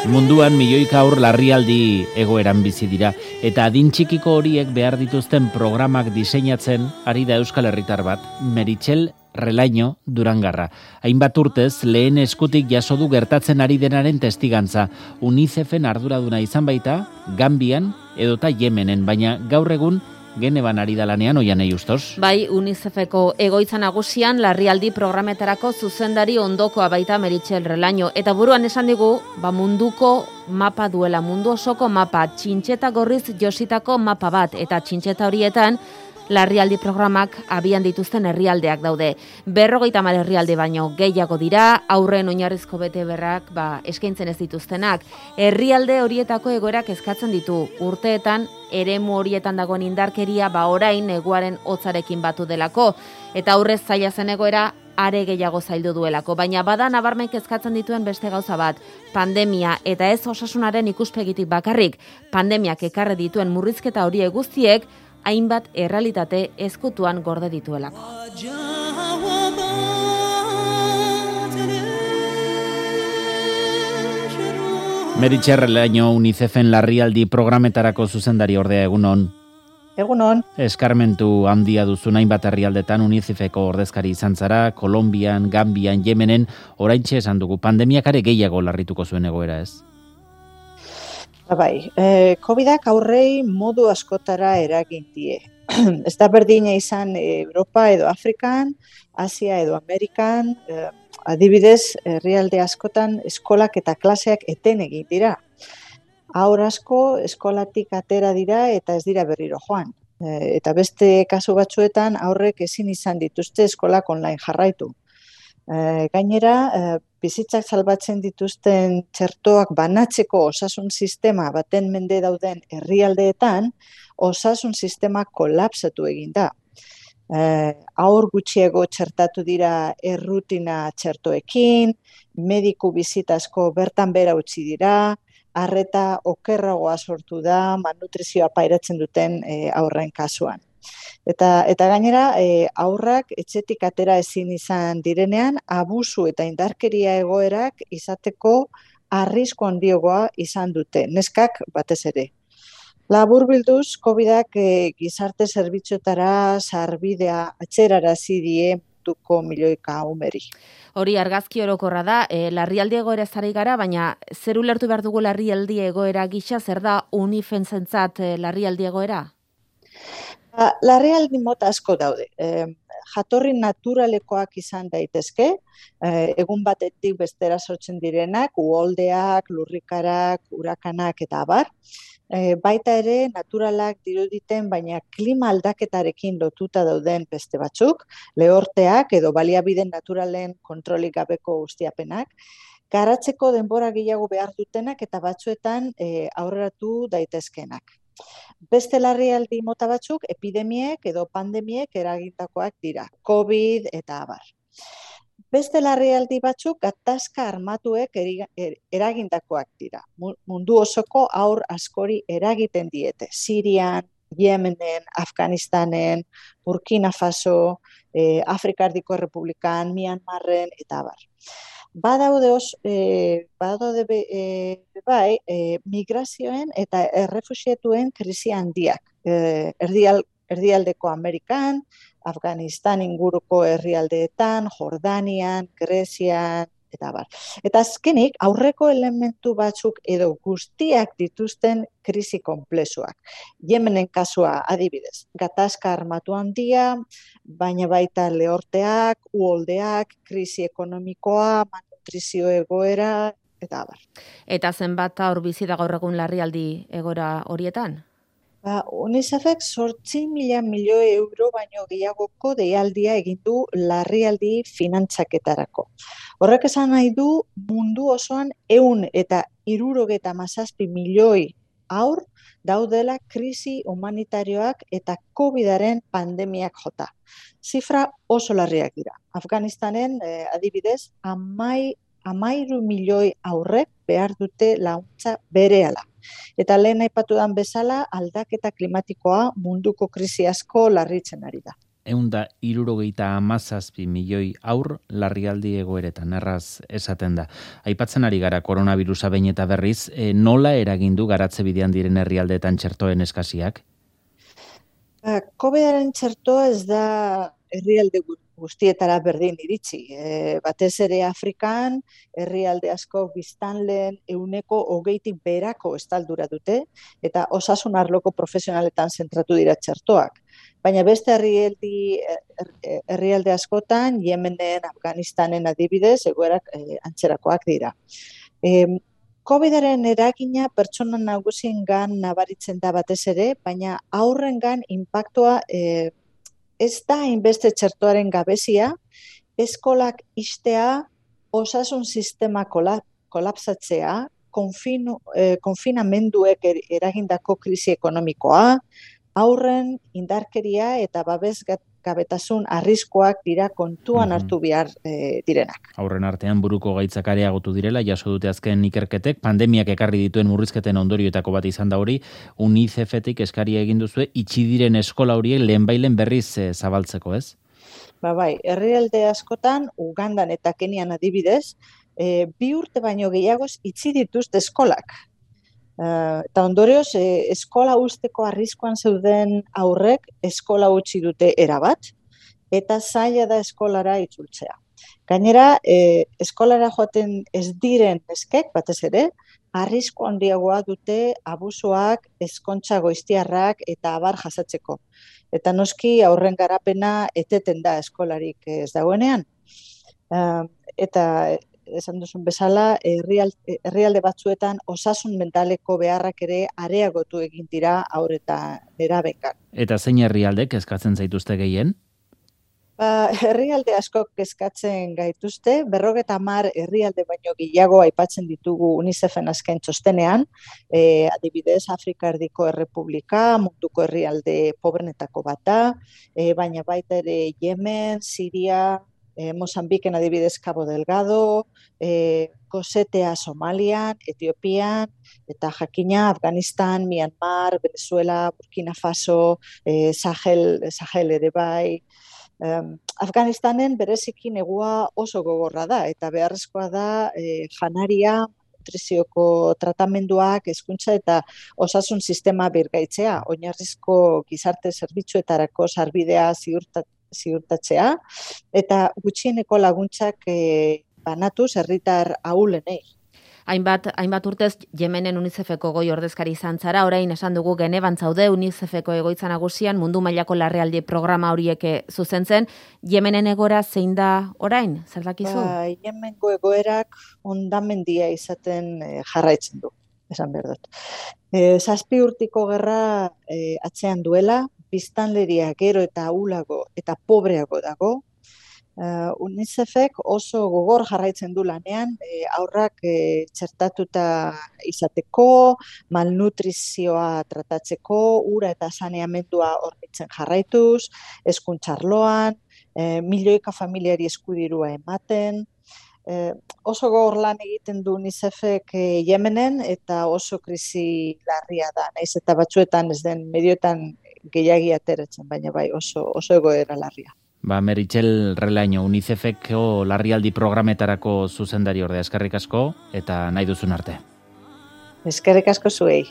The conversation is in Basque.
Munduan milioika haur larrialdi egoeran bizi dira eta adin txikiko horiek behar dituzten programak diseinatzen ari da Euskal Herritar bat, Meritxell Relaño Durangarra. Hainbat urtez lehen eskutik jaso du gertatzen ari denaren testigantza. UNICEFen arduraduna izan baita, Gambian edota Yemenen, baina gaur egun Geneban ari da lanean Oianei Ustos. Bai, UNICEFeko egoitza nagusian larrialdi programetarako zuzendari ondokoa baita Meritxell Relaño. Eta buruan esan digu, munduko mapa duela, mundu osoko mapa, txintxeta gorriz jositako mapa bat, eta txintxeta horietan larrialdi programak abian dituzten herrialdeak daude. 50 herrialde baino gehiago dira, aurren oinarrizko betebeharrak eskaintzen ez dituztenak. Herrialde horietako egoerak eskatzen ditu. Urteetan eremu horietan dagoen indarkeria orain neguaren hotzarekin batu delako, eta aurrez zaila zen egoera are gehiago zaildu duelako. Baina bada nabarmen kezkatzen dituen beste gauza bat, pandemia, eta ez osasunaren ikuspegitik bakarrik, pandemiak ekarri dituen murrizketa horiek guztiek hainbat errealitate ezkutuan gorde dituelako. Meritxell Relaño UNICEFen larrialdi programetarako zuzendari ordea, egunon. Egunon. Eskarmentu handia duzun hainbat herrialdetan UNICEFeko ordezkari izan zara, Kolonbian, Gambian, Yemenen, oraintxe esan dugu, pandemiak are gehiago larrituko zuen egoera, ez? Bai, COVID-ak aurrei modu askotara eragin die. Ez da berdina izan Europa edo Afrikan, Asia edo Amerikan, adibidez, herrialde askotan eskolak eta klaseak eten egin dira. Haur asko eskolatik atera dira eta ez dira berriro joan. Eta beste kasu batzuetan aurrek ezin izan dituzte eskolak online jarraitu. Gainera, bizitzak salbatzen dituzten txertoak banatzeko osasun sistema baten mende dauden herrialdeetan, osasun sistema kolapsatu egin da. Haur gutxiego txertatu dira errutina txertoekin, mediku bizitasko bertan bera utzi dira, arreta okerragoa sortu da malnutrizioa pairatzen duten haurren kasuan. Eta gainera, haurrak etxetik atera ezin izan direnean, abusu eta indarkeria egoerak izateko arrisku handiogoa izan dute, neskak batez ere. Laburbilduz, COVID-ak gizarte zerbitzuetara sarbidea atzerarazi die munduko milioika umeri. Hori argazki orokorra da, larrialdi egoera ez ari gara, baina zer ulertu behar dugu larrialdi egoera gisa, zer da UNICEFentzat larrialdi egoera? Larrialdi mota asko daude. Jatorri naturalekoak izan daitezke, egun batetik bestera sortzen direnak, uholdeak, lurrikarak, urakanak eta abar. Baita ere naturalak diruditen, baina klima aldaketarekin lotuta dauden beste batzuk, lehorteak edo baliabide naturalen kontrolik gabeko ustiapenak, garatzeko denbora gehiago behar dutenak eta batzuetan aurreratu daitezkenak. Beste larrialdi mota batzuk epidemiek edo pandemiek eragindakoak dira, COVID eta abar. Beste larrialdi batzuk gatazka armatuek eragindakoak dira. Mundu osoko haur askori eragiten diete. Sirian, Yemenen, Afganistanen, Burkina Faso, Afrikardiko Errepublikan, Myanmarren eta abar. Badaude migrazioen eta errefuxiatuen krisi handiak. Erdialdeko Amerikan, Afganistan inguruko herrialdeetan, Jordanian, Grezian, eta bar. Eta azkenik, aurreko elementu batzuk edo guztiak dituzten krisi konplexuak. Yemenen kasua adibidez, gatazka armatu handia, baina baita lehorteak, uholdeak, krisi ekonomikoa, malnutrizio egoera, eta abar. Eta zenbat haur bizi da gaur egun larrialdi egoera horietan? UNICEFek 8.000 milioi euro baino gehiagoko deialdia egin du larrialdi finantzaketarako. Horrek esan nahi du mundu osoan 167 milioi haur daudela krisi humanitarioak eta COVID-aren pandemiak jota. Zifra oso larriak dira. Afganistanen adibidez 13 milioi haurrek behar dute laguntza berehala. Eta lehen aipatudan bezala, aldaketa klimatikoa munduko krisi asko larritzen ari da. 177 milioi haur larrialdi egoeretan, erraz esaten da. Aipatzen ari gara koronavirusa behin eta berriz, nola eragindu garatze bidean diren herrialdeetan txertoen eskasiak? COVID-aren txertoa ez da herrialde guztietara berdin iritsi. Batez ere Afrikan, herrialde asko biztanleen 20%tik beherako estaldura dute, eta osasun arloko profesionaletan zentratu dira txertoak. Baina beste herrialde askotan, Yemenen, Afganistanen adibidez, egoerak antzerakoak dira. COVID-aren eragina pertsona nagusiengan nabaritzen da batez ere, baina haurrengan inpaktua ez da hainbeste txertoaren gabezia, eskolak ixtea, osasun sistema kolapsatzea, konfinamenduek eragindako krisi ekonomikoa, haurren indarkeria eta babesgabetasun arriskuak dira kontuan hartu behar direnak. Haurren artean buruko gaitzak areagotu direla, jaso dute azken ikerketek, pandemiak ekarri dituen murrizketen ondorioetako bat izan da hori, UNICEFetik eskaria egin duzue, itxi diren eskola horiek lehenbailen berriz zabaltzeko, ez? Bai, herrialde askotan, Ugandan eta Kenian adibidez, 2 urte baino gehiagoz itxi dituzte eskolak. Eta ondorioz, eskola usteko arriskuan zeuden aurrek eskola utzi dute erabat, eta zaila da eskolara itzultzea. Gainera, eskolara joaten ez diren neskek, batez ere, arrisku handiagoa dute abusuak, ezkontza goiztiarrak eta abar jasatzeko. Eta noski aurren garapena eteten da eskolarik ez dagoenean. Eta esan duzun bezala, herrialde batzuetan osasun mentaleko beharrak ere areagotu egin dira haur eta nerabengan. Eta zein herrialdek eskatzen zaituzte gehien? Herrialde asko kezkatzen gaituzte, 50 herrialde baino gehiago aipatzen ditugu UNICEFen azken txostenean, adibidez Afrika Erdiko Errepublika, munduko herrialde pobrenetako bat da, baina baita ere Yemen, Siria, Mozambiken adibidez Cabo Delgado, Gosetea Somalian, Etiopian, eta jakina Afganistan, Myanmar, Venezuela, Burkina Faso, Sahel ere bai. Afganistanen bereziki negua oso gogorra da, eta beharrezkoa da janaria, nutrizioko tratamenduak, hezkuntza eta osasun sistema birgaitzea, oinarrizko gizarte zerbitzuetarako sarbidea ziurtatzea, eta gutxieneko laguntzak banatuz herritar ahulenei. Hainbat urtez Yemenen UNICEFeko goi ordezkari izan zara, orain esan dugu Genevan zaude UNICEFeko egoitza nagusian mundu mailako larrialdi programa horiek zuzentzen. Yemenen egoera zein da orain? Zer dakizu? Yemengo egoerak hondamendia izaten jarraitzen du, esan behar dut. 7 urtiko gerra atzean duela, biztanleria gero eta ahulago eta pobreago dago. UNICEFek oso gogor jarraitzen du lanean, haurrak txertatuta izateko, malnutrizioa tratatzeko, ura eta saneamendua hornitzen jarraituz, hezkuntza arloan, milioika familiari eskudirua ematen. Oso gogor lan egiten du UNICEFek Yemenen eta oso krisi larria da. Naiz eta batzuetan ez den medioetan gehiagi ateratzen, baina bai oso egoera larria. Meritxell Relaino, UNICEFeko larrialdi programetarako zuzendari ordea, eskerrik asko eta nahi duzun arte. Eskerrik asko zuei.